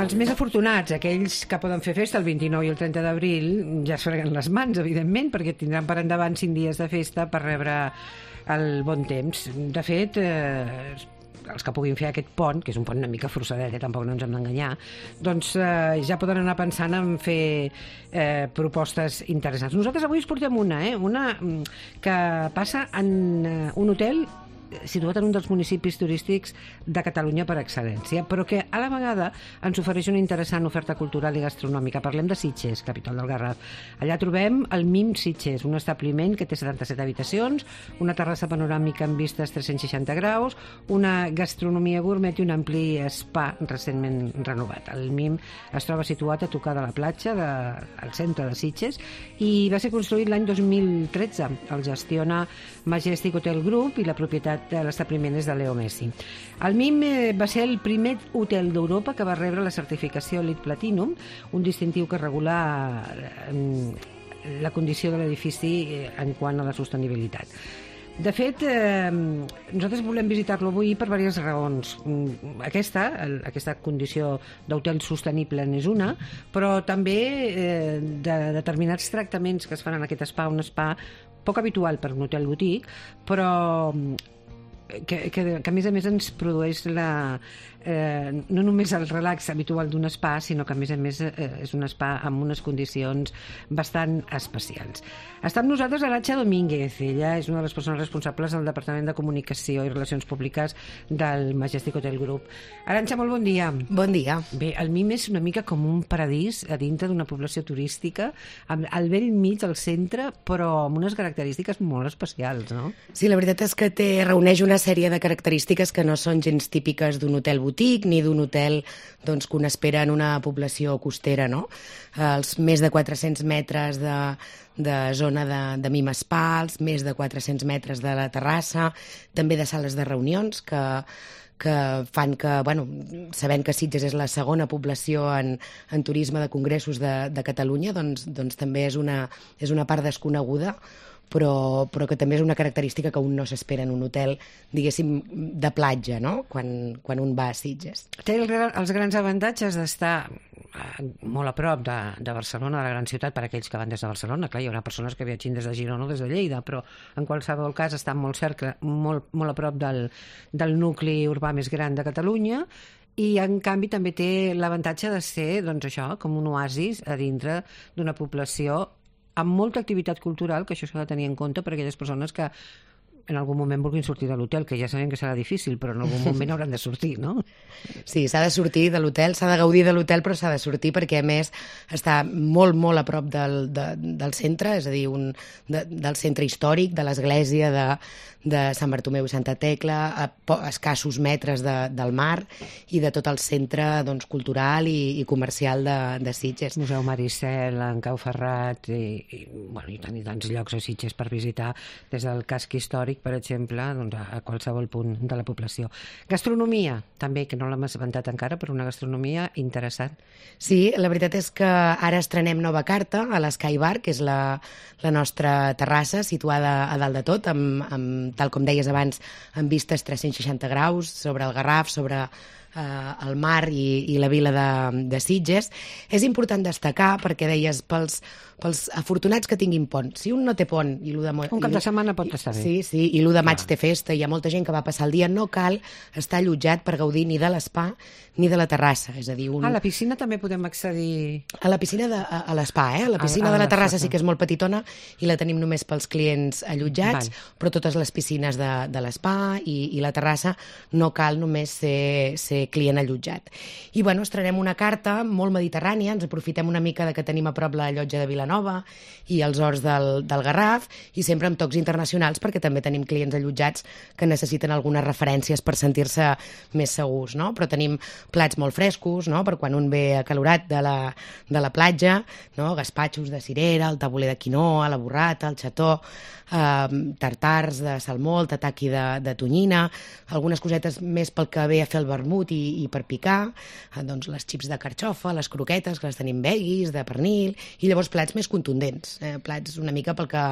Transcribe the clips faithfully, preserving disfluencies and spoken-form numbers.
Els més afortunats, aquells que poden fer festa el vint-i-nou i el trenta d'abril, ja es freguen les mans, evidentment, perquè tindran per endavant cinc dies de festa per rebre el bon temps. De fet, eh, els que puguin fer aquest pont, que és un pont una mica forçadet, eh, tampoc no ens hem d'enganyar, doncs eh, ja poden anar pensant en fer eh, propostes interessants. Nosaltres avui us portem una, eh, una que passa en eh, un hotel situat en un dels municipis turístics de Catalunya per excel·lència, però que a la vegada ens ofereix una interessant oferta cultural i gastronòmica. Parlem de Sitges, capital del Garraf. Allà trobem el Mim Sitges, un establiment que té setanta-set habitacions, una terrassa panoràmica amb vistes tres-cents seixanta graus, una gastronomia gourmet i un ampli spa recentment renovat. El Mim es troba situat a tocar de la platja, de, al centre de Sitges, i va ser construït l'any dos mil tretze. El gestiona Majestic Hotel Group i la propietat de l'establiment és de Leo Messi. El Mim eh, va ser el primer hotel d'Europa que va rebre la certificació Elite Platinum, un distintiu que regula eh, la condició de l'edifici eh, en quant a la sostenibilitat. De fet, eh, nosaltres volem visitar-lo avui per diverses raons. Aquesta, el, aquesta condició d'hotel sostenible n'és una, però també eh, de determinats tractaments que es fan en aquest spa, un spa poc habitual per un hotel boutique, però que, que, que a més a més ens produeix la, eh, no només el relax habitual d'un spa, sinó que a més a més eh, és un spa amb unes condicions bastant especials. Està amb nosaltres Arantxa Domínguez. Ella és una de les persones responsables del Departament de Comunicació i Relacions Públiques del Majestic Hotel Group. Arantxa, molt bon dia. Bon dia. Bé, el Mim és una mica com un paradís a dintre d'una població turística, al vell mig, al centre, però amb unes característiques molt especials, no? Sí, la veritat és que té, reuneix una sèrie de característiques que no són gens típiques d'un hotel boutique ni d'un hotel doncs, que un espera en una població costera, no? Els més de quatre-cents metres de, de zona de, de Mim Spa, els més de quatre-cents metres de la terrassa, també de sales de reunions que que fan que, bueno, sabent que Sitges és la segona població en, en turisme de congressos de, de Catalunya, doncs, doncs també és una, és una part desconeguda, però, però que també és una característica que un no s'espera en un hotel, diguéssim, de platja, no?, quan, quan un va a Sitges. Té el, els grans avantatges d'estar molt a prop de, de Barcelona, de la gran ciutat, per aquells que van des de Barcelona. Clar, hi haurà persones que viatgin des de Girona o des de Lleida, però en qualsevol cas estan molt cerca, molt, molt a prop del, del nucli urbà més gran de Catalunya, i en canvi també té l'avantatge de ser, doncs això, com un oasis a dintre d'una població amb molta activitat cultural, que això s'ha de tenir en compte per a aquelles persones que en algun moment vulguin sortir de l'hotel, que ja sabem que serà difícil, però en algun moment hauran de sortir, no? Sí, s'ha de sortir de l'hotel, s'ha de gaudir de l'hotel, però s'ha de sortir perquè, a més, està molt, molt a prop del, de, del centre, és a dir, un, de, del centre històric, de l'església de, de Sant Bartomeu i Santa Tecla, a, a escassos metres de, del mar i de tot el centre doncs, cultural i, i comercial de, de Sitges. Museu Maricel, en Cau Ferrat, i, i, bueno, i tant i tants llocs a Sitges per visitar, des del casc històric, per exemple, doncs a qualsevol punt de la població. Gastronomia, també, que no l'hem esmentat encara, però una gastronomia interessant. Sí, la veritat és que ara estrenem nova carta a l'Sky Bar, que és la, la nostra terrassa situada a dalt de tot, amb, amb, tal com deies abans, amb vistes tres-cents seixanta graus sobre el Garraf, sobre eh, el mar i, i la vila de, de Sitges. És important destacar, perquè deies, pels, pels afortunats que tinguin pont. Si un no té pont... I de mo... Un cap de setmana pot estar bé. Sí, sí, i l'u de maig té festa, hi ha molta gent que va passar el dia, no cal estar allotjat per gaudir ni de l'espa ni de la terrassa. És a dir, un... A la piscina també podem accedir... A la piscina de, a, a l'espa, eh? La piscina a, a de la terrassa sí que és molt petitona i la tenim només pels clients allotjats, Val. Però totes les piscines de, de l'espa i, i la terrassa no cal només ser, ser client allotjat. I, bueno, estrenem una carta molt mediterrània, ens aprofitem una mica de que tenim a prop la llotja de Vilanova i els horts del, del Garraf, i sempre amb tocs internacionals, perquè també tenim clients allotjats que necessiten algunes referències per sentir-se més segurs, no? Però tenim plats molt frescos, no?, per quan un ve acalorat de la, de la platja, no?, gaspatxos de cirera, el tabuler de quinoa, la burrata, el xató, eh, tartars de salmó, el tataki de, de tonyina, algunes cosetes més pel que ve a fer el vermut i, i per picar, eh, doncs les xips de carxofa, les croquetes, que les tenim veggies, de pernil, i llavors plats més contundents, eh, plats una mica pel que,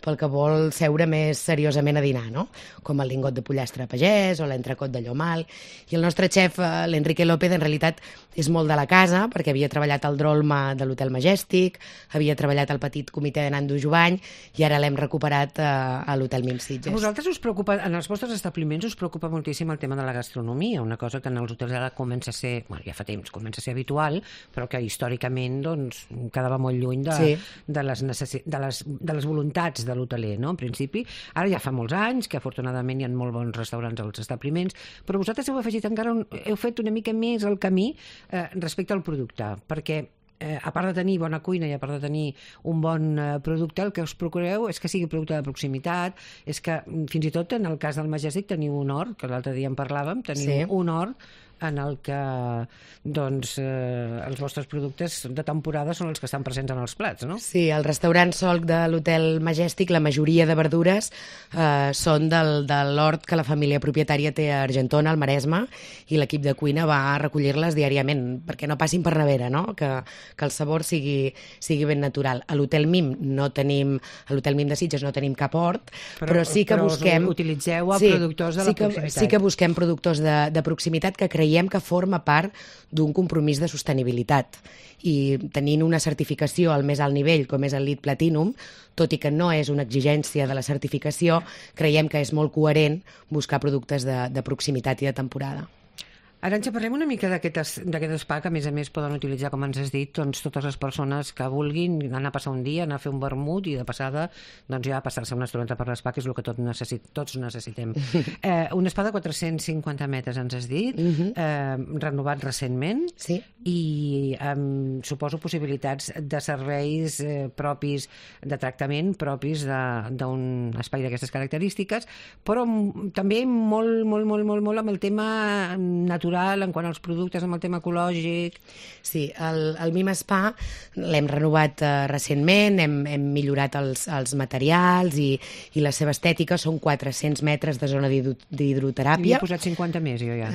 pel que vol seure més seriosament a dinar, no? Com el lingot de pollastre pagès o l'entrecot de llomal. I el nostre xef, eh, l'Enrique López, en realitat és molt de la casa, perquè havia treballat al Drolma de l'Hotel Majestic, havia treballat al petit comitè de Nando Jovany, i ara l'hem recuperat eh, a l'Hotel Mim Sitges. A vosaltres us preocupa, en els vostres establiments us preocupa moltíssim el tema de la gastronomia, una cosa que en els hotels ara comença a ser, bueno, ja fa temps, comença a ser habitual, però que històricament doncs, quedava molt lluny de, sí. de, les necessi... de, les, de les voluntats de l'hoteler, no? En principi, ara ja fa molts anys que afortunadament hi ha molt bons restaurants als establiments, però vosaltres heu afegit encara, un, heu fet una mica més el camí eh, respecte al producte, perquè Eh, a part de tenir bona cuina i a part de tenir un bon eh, producte, el que us procureu és que sigui producte de proximitat, és que fins i tot en el cas del Majestic teniu un hort, que l'altre dia en parlàvem, teniu sí. un hort en el que doncs, eh, els vostres productes de temporada són els que estan presents en els plats, no? Sí, al restaurant Solc de l'Hotel Majestic la majoria de verdures eh, són del, de l'hort que la família propietària té a Argentona, al Maresme, i l'equip de cuina va a recollir-les diàriament perquè no passin per nevera, no? Que, que el sabor sigui, sigui ben natural. A l'Hotel Mim no tenim, a l'Hotel Mim de Sitges no tenim cap hort, però, però sí que però busquem... utilitzeu a sí, productors de sí la que, proximitat. Sí que busquem productors de, de proximitat que creiem que forma part d'un compromís de sostenibilitat. I tenint una certificació al més alt nivell, com és el LEED Platinum, tot i que no és una exigència de la certificació, creiem que és molt coherent buscar productes de, de proximitat i de temporada. Arantxa, parlem una mica d'aquest spa que, a més a més, poden utilitzar, com ens has dit, doncs, totes les persones que vulguin anar a passar un dia, anar a fer un vermut i, de passada, doncs ja passar-se una estoneta per l'espa, que és el que tot necessit, tots necessitem. Eh, un spa de quatre-cents cinquanta metres, ens has dit, uh-huh. eh, renovat recentment, sí. i eh, suposo possibilitats de serveis eh, propis, de tractament propis d'un espai d'aquestes característiques, però també molt, molt, molt, molt, molt amb el tema natural, en quant als productes, amb el tema ecològic. Sí, el, el Mim Spa l'hem renovat uh, recentment, hem, hem millorat els, els materials i, i la seva estètica. Són quatre-cents metres de zona d'hidroteràpia. He posat cinquanta més, jo ja.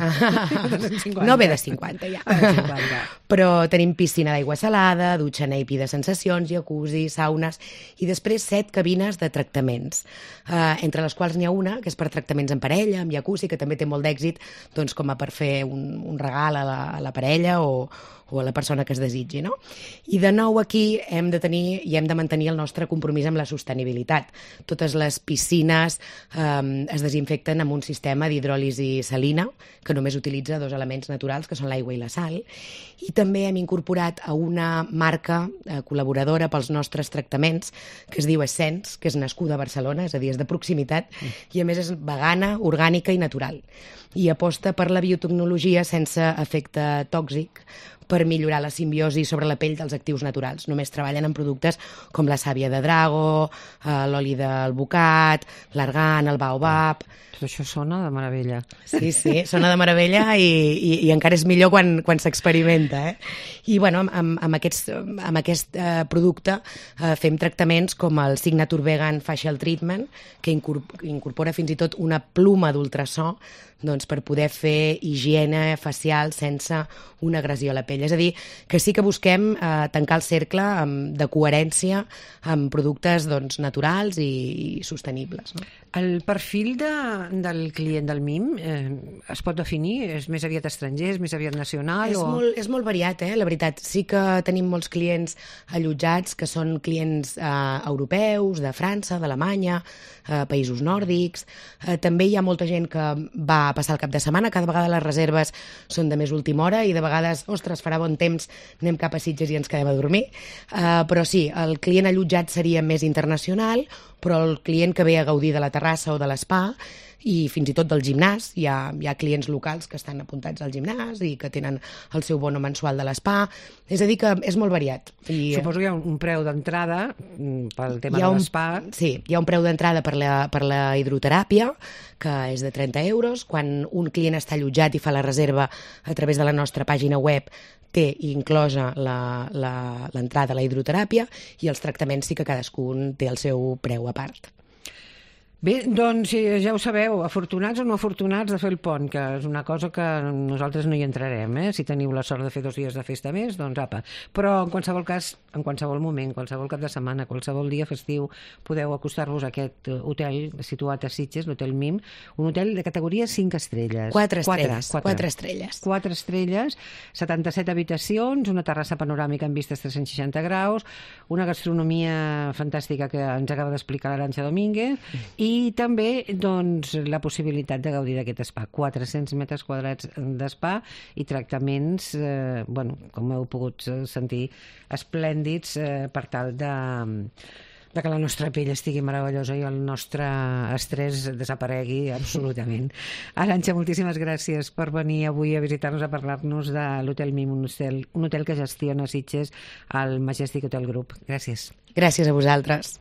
No ve de cinquanta, ja. cinquanta. Però tenim piscina d'aigua salada, dutxa neipi de sensacions, jacuzzi, saunes, i després set cabines de tractaments, uh, entre les quals n'hi ha una que és per tractaments en parella, amb jacuzzi, que també té molt d'èxit, doncs com a per fer un, un regal a la, a la parella o, o a la persona que es desitgi, no? I de nou aquí hem de tenir i hem de mantenir el nostre compromís amb la sostenibilitat. Totes les piscines eh, es desinfecten amb un sistema d'hidròlisi salina, que només utilitza dos elements naturals, que són l'aigua i la sal, i també hem incorporat a una marca eh, col·laboradora pels nostres tractaments, que es diu Essence, que és nascuda a Barcelona, és a dir, és de proximitat, mm. i a més és vegana, orgànica i natural. I aposta per la biotecnologia sense efecte tòxic, per millorar la simbiosi sobre la pell dels actius naturals. Només treballen en productes com la sàvia de drago, eh, l'oli d'alvocat, l'argan, el baobab... Tot això sona de meravella. Sí, sí, sona de meravella i, i, i encara és millor quan, quan s'experimenta. Eh? I bueno, amb, amb, aquests, amb aquest eh, producte eh, fem tractaments com el Signature Vegan Facial Treatment, que incorpora fins i tot una pluma d'ultrasò, doncs, per poder fer higiene facial sense una agressió a la pell. És a dir, que sí que busquem eh, tancar el cercle amb, de coherència amb productes doncs, naturals i, i sostenibles. No? El perfil de, del client del Mim eh, es pot definir? És més aviat estranger, és més aviat nacional? És, o... molt, és molt variat, eh, la veritat. Sí que tenim molts clients allotjats que són clients eh, europeus, de França, d'Alemanya, eh, països nòrdics. Eh, també hi ha molta gent que va a passar el cap de setmana. Cada vegada les reserves són de més última hora i de vegades, ostres, farà bon temps, anem cap a Sitges i ens quedem a dormir. Eh, però sí, el client allotjat seria més internacional, però el client que ve a gaudir de la terrassa o de l'espa i fins i tot del gimnàs, hi ha, hi ha clients locals que estan apuntats al gimnàs i que tenen el seu bono mensual de l'espa, és a dir que és molt variat. I, suposo que hi ha un preu d'entrada pel tema de l'espa. Sí, hi ha un preu d'entrada per la, per la hidroteràpia, que és de trenta euros. Quan un client està allotjat i fa la reserva a través de la nostra pàgina web, té inclosa l'entrada a la hidroteràpia i els tractaments sí que cadascun té el seu preu a part. Bé, doncs ja ho sabeu, afortunats o no afortunats de fer el pont, que és una cosa que nosaltres no hi entrarem, eh? Si teniu la sort de fer dos dies de festa més, doncs apa. Però en qualsevol cas, en qualsevol moment, qualsevol cap de setmana, qualsevol dia festiu, podeu acostar-vos a aquest hotel situat a Sitges, l'Hotel Mim, un hotel de categoria cinc estrelles. Quatre estrelles. Quatre, quatre estrelles. Quatre estrelles, setanta-set habitacions, una terrassa panoràmica amb vistes tres-cents seixanta graus, una gastronomia fantàstica que ens acaba d'explicar l'Arantxa Domínguez, i també doncs, la possibilitat de gaudir d'aquest spa. quatre-cents metres quadrats d'espa i tractaments, eh, bueno, com heu pogut sentir, esplèndids eh, per tal de, de que la nostra pell estigui meravellosa i el nostre estrès desaparegui absolutament. Arantxa, moltíssimes gràcies per venir avui a visitar-nos, a parlar-nos de l'Hotel Mim, un hotel, un hotel que gestiona Sitges al Majestic Hotel Group. Gràcies. Gràcies a vosaltres.